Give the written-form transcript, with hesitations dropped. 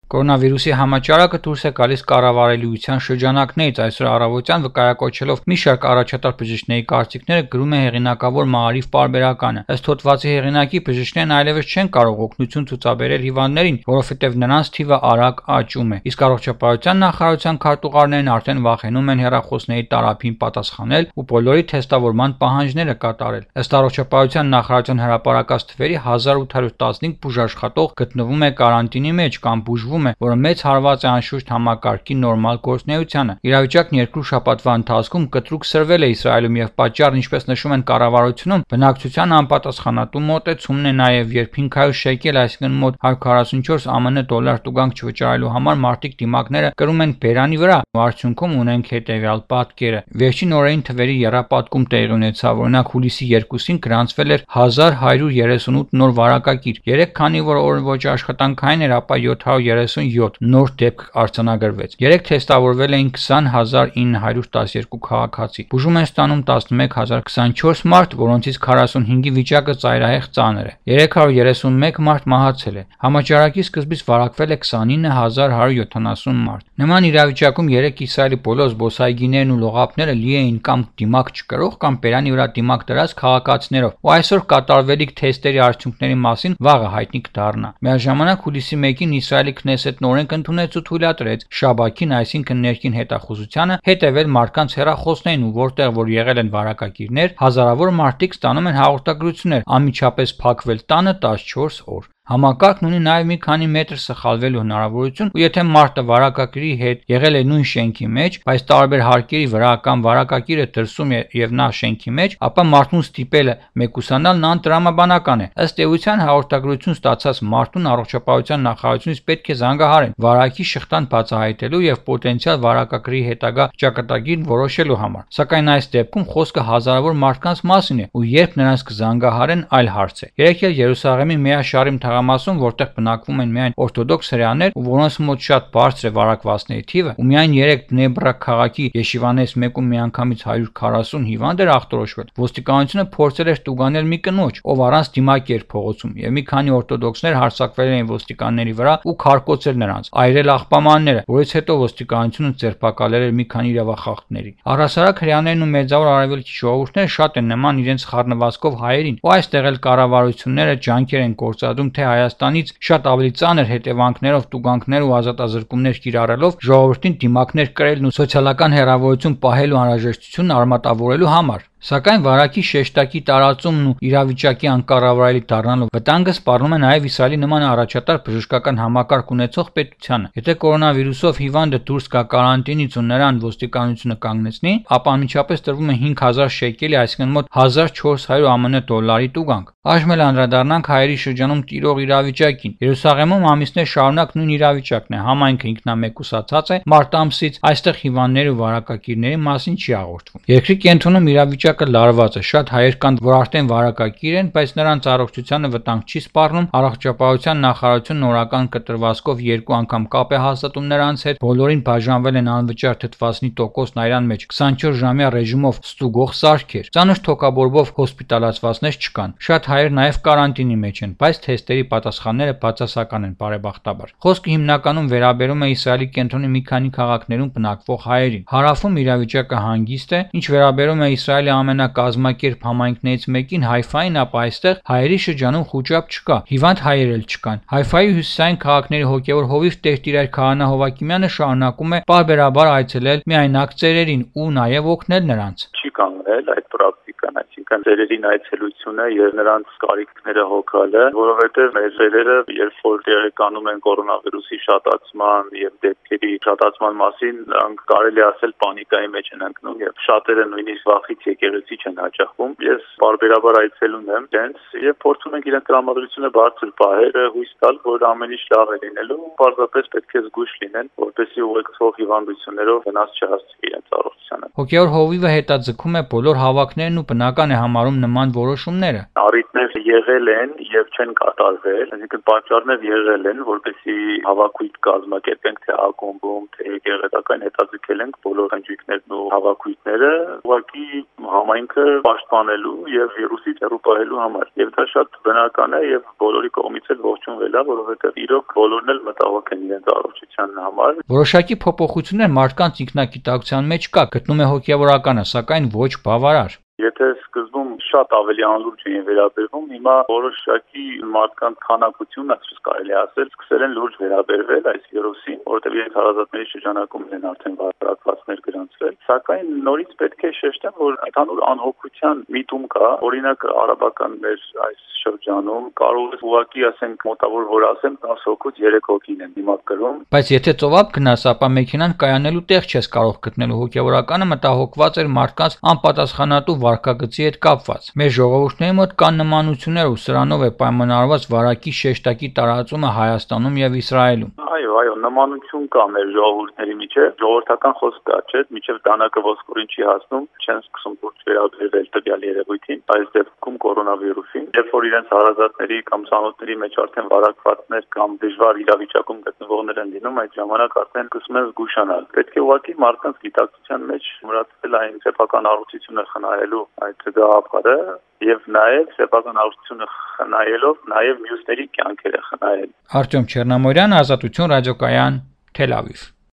Կորոնավիրուսի համաճարակը դուրս է գալիս կառավարելիության շրջանակներից այսօր առավոտյան վկայակոչելով մի շարք առաջատար բժիշկների կարծիքները գրում է հեղինակավոր Մաարիվ պարբերականը։ Ըստ հոդվածի հեղինակի բժիշկներն այլևս չեն կարող օգնություն ցուցաբերել հիվանդներին, որովհետև նրանց թիվը արագ աճում է։ Իսկ առողջապահության նախարարության քարտուղարներն արդեն վախենում են հեռախոսների տարափին պատասխանել ու բոլորի թեստավորման պահանջները կատարել։ Ըստ առողջապահության նախարարության հրապարակած թվերի 1815 բուժաշխատող գտնվում է կարանտինի մեջ կամ բուժվում է, որը մեծ հարված է անշուշտ համակարգի նորմալ գործունեությանը։ Իրավիճակն երկու շաբաթվա ընթացքում կտրուկ սրվել է Իսրայելում եւ պատճառն, ինչպես նշում են կառավարությունում, բնակչության անպատասխանատու մոտեցումն է նաեւ, երբ 500 շեկել, այսինքն մոտ 144 ԱՄՆ դոլար տուգանք չվճարելու համար մարդիկ դիմակները կրում են բերանի վրա։ Արդյունքում ունենք հետեւյալ պատկերը։ Վերջին օրերին թվերի եռապատկում տեղի ունեցավ, օրինակ հուլիսի 2-ին գրանցվել էր 1138 նոր վարակագիր։ 3 քանի որ օրը ոչ աշխատանքային էր, ապա 737 նոր դեպք արձանագրվեց։ 3 թեստավորվել էին 20912 քաղաքացի։ Բուժում են ստանում 11024 մարդ, որոնցից 45-ի վիճակը ծայրահեղ ծանր է։ 331 մարդ մահացել է։ Համաճարակի սկզբից վարակվել է 29170 մարդ։ Նման իրավիճակում 3 Իսրայելի բոլոր զբոսայգիներն ու լողափները լի էին կամ դիմակ չկրող կամ բերանի վրա դիմակ դրած քաղաքացիներով, ու այսօր կատարվելիք թեստերի արդյունքների մասին վաղը հայտնի կդառնա։ Միաժամանակ հուլիսի 1-ին Իսրայելի Քնեսեթն օրենք ընդունեց ու թույլատրեց Շաբաթին, այսինքն ներքին հետախուզությանը, հետևել մարդկանց հեռախոսներին, ու որտեղ որ եղել են վարակագիրներ, հազարավոր մարդիկ ստանում են հաղորդագրություններ, անմիջապես փակվել տանը 14 օր։ Համակարգն ունի նաև մի քանի մետր սխալվելու հնարավորություն, ու եթե մարդը վարակագիրի հետ եղել է նույն շենքի մեջ, բայց տարբեր հարկերի վրա կամ վարակագիրը դրսում է եւ նա շենքի մեջ, ապա մարդուն ստիպելը մեկուսանալն անտրամաբանական է։ Ըստ էության հաղորդագրություն ստացած մարդուն առողջապահության նախարարությունից պետք է զանգահարեն վարակի շղթան բացահայտելու եւ պոտենցիալ վարակագրի հետագա ճակատագիրն որոշելու համար։ Սակայն այս դեպքում խոսքը հազարավոր մարդկանց մասին է, ու երբ նրանց կզանգահարեն, այլ հարց է։ Երեկ էլ Երուսաղեմի Մեաշարիմ թաղամասում, որտեղ բնակվում են միայն օրթոդոքս հրեաներ, ու որոնց մոտ շատ բարձր է վարակվածների թիվը, ու միայն 3 Բնե Բրակ քաղաքի Եշիվանես մեկում միանգամից 140 հիվանդ էր ախտորոշվել, ոստիկանությունը փորձել էր տուգանել մի կնոջ, ով առանց դիմակ էր փողոցում, եւ մի քանի օրթոդոքսներ հարձակվել էին ոստիկանների վրա ու քարկոծել նրանց, այրել աղբամանները, որից հետո ոստիկանությունը ձերբակալել էր մի քանի իրավախախտների։ Առհասարակ հրեաներն ու մեծավոր արևելքի ժողովուրդները շատ են նման իրենց խառնվածքով հայերին, ու այստեղ էլ կառավարությունները ջանքեր են գործադրում, թե Հայաստանից շատ ավելի ծանր հետևանքներով տուգանքներ ու ազատազրկումներ կիրառելով ժողովրդին դիմակներ կրելն ու սոցիալական հեռավորություն պահելու անհրաժեշտությունն արմատավորելու համար։ Սակայն վարակի շեշտակի տարածումն ու իրավիճակի անկառավարելի դառնալով վտանգը սպառնում է նաև Իսրայելի նման առաջատար բժշկական համակարգ ունեցող պետությանը։ Եթե կորոնավիրուսով հիվանդը դուրս գա կարանտինից ու նրան ոստիկանությունը կանգնեցնի, ապա անմիջապես տրվում է 5000 շեկելի, այսինքն մոտ 1400 ԱՄՆ դոլարի տուգանք։ Այժմ էլ անդրադառնանք հայերի շրջանում տիրող իրավիճակին։ Երուսաղեմում ամիսներ շարունակ նույն իրավիճակն է, համայնքը ինքնամեկուսացած է մարտ ամսից, այստեղ հիվանդների ու վարակագիրների մասին չի հաղորդվում։ Երկրի կենտրոնում իրավիճակը լարված է, շատ հայեր կան, որ արդեն վարակագիր են, բայց նրանց առողջությանը վտանգ չի սպառնում։ Առողջապահության նախարարությունը նորական կտրվածքով 2 անգամ կապ է հաստատում նրանց հետ, բոլորին բաժանվել են անվճար թթվածնի տոկոսն այրան մեջ 24-ժամյա ռեժիմով ստուգող սարքեր։ Ծանր թոքաբորբով հոսպիտալացվածներ չկան։ Շատ հայեր նաև կարանտինի մեջ են, բայց թեստերի պատասխանները բացասական են, բարեբախտաբար։ Խոսքը հիմնականում վերաբերում է Իսրայելի կենտրոնի մի քանի քաղաքներում բնակվող հայերին։ Հարավում իրավիճակը հանգիստ է, ինչ վերաբերում է Իսրայելի ամենակազմակերպ համայնքներից մեկին Հայֆային, ապա այստեղ հայերի շրջանում խուճապ չկա, հիվանդ հայեր էլ չկան։ Հայֆայի հյուսիսային քաղաքների հոգևոր հովիվ Տեր-Տիրայր Քահանա Հովակիմյանը շարունակում է պարբերաբար այցելել միայնակ ծերերին ու նաև օգնել նրանց։ Չի կանգնել այդ պրակտիկան, այսինքն ծերերին այցելությունը եւ նրանց կարիքները հոգալը, որովհետեւ մեր ծերերը, երբ որ տեղեկանում են կորոնավիրուսի շատացման եւ դեպքերի շատացման մասին, նրանք կարելի ասել պանիկայի մեջ են ընկնում եւ շատերը նույնիսկ վախից եկեղեցի չեն հաճախում։ Ես բարբերաբար այցելում եմ դենց եւ փորձում ենք իրենց տրամադրությունը բարձր պահել, հույս տալ, որ ամեն ինչ լավ է լինելու, պարզապես պետք է զգույշ լինեն, որպեսզի ուղեկցող հիվանդություններով վնաս չհասցվի իրենց առողջությանը։ Հոգևոր հովիվը հետաձգում է բոլոր հավաքներն ու բնական է համարում նման որոշումները։ Առիթներ եղել են եւ չեն կատարվել, այսինքն պատճառներ եղել են, որպեսզի հավաքույթ կազմակերպենք թե ակումբում, թե եկեղեցական հետաձգել ենք բոլոր խնջույքներն ու հավաքույթները, ուղղակի համայնքը պաշտպանելու եւ վիրուսից հեռու պահելու համար։ Եվ դա շատ բնական է եւ բոլորի կողմից էլ ողջունվել է, որովհետեւ իրոք բոլորն էլ մտահոգ են իրենց առողջության համար։ Որոշակի փոփոխություններ մարդկանց ինքնակիտակցության մեջ կա, գտնում է հոգեվորականը, սակայն ոչ բավարար։ Եթե սկզբում շատ ավելի անլուրջ էին վերաբերվում, հիմա որոշակի մարդկանց քանակությունը, այսպես կարելի ասել, սկսել են լուրջ վերաբերվել այս վիրուսին, որովհետև իրենց հարազատների շրջանակում են արդեն վարակվածներ գրանցվել, սակայն նորից պետք է շեշտեմ, որ ընդհանուր անհոգության միտում կա, օրինակ արաբական մեր այս շրջանում կարող է ուղղակի ասենք մոտավոր որ ասեմ 10 հոգուց 3 հոգին են դիմակ կրում։ Բայց եթե ծովափ գնաս, ապա մեքենան կայանելու տեղ չես կարող գտնելու, հոգեվորականը մտահոգված էր մարդկանց անպատասխանատու վարքագծի հետ կապված։ Մեր ժողովուրդների մոտ կան նմանություններ ու սրանով է պայմանավորված վարակի շեշտակի տարածումը Հայաստանում եւ Իսրայելում։ Այո, նմանություն կա մեր ժողովուրդների միջև, ժողովրդական խոսք կա, չէ՞, միջև դանակը ոսկորին չի հասնում, չեն սկսում դուրս վերաբերվել տվյալ երևույթին, այս դեպքում կորոնավիրուսին, երբ որ իրենց հարազատների կամ ծանոթների մեջ արդեն վարակվածներ կամ դժվար իրավիճակում գտնվողներ են լինում, այդ ժամանակ արդեն սկսում են զգուշանալ։ Պետք է ուղղակի մարդկանց գիտակցության մեջ մոռացել այն սեփական առողջությունը խնայելու այդ գաղափարը եւ նաեւ սեփական առողջությունը խնայելով նաեւ մյուսների կյանքերը խնայել։ Արտյոմ Չեռնամորյան, Ազատություն ռադիոկայան, Թել Ավիվ։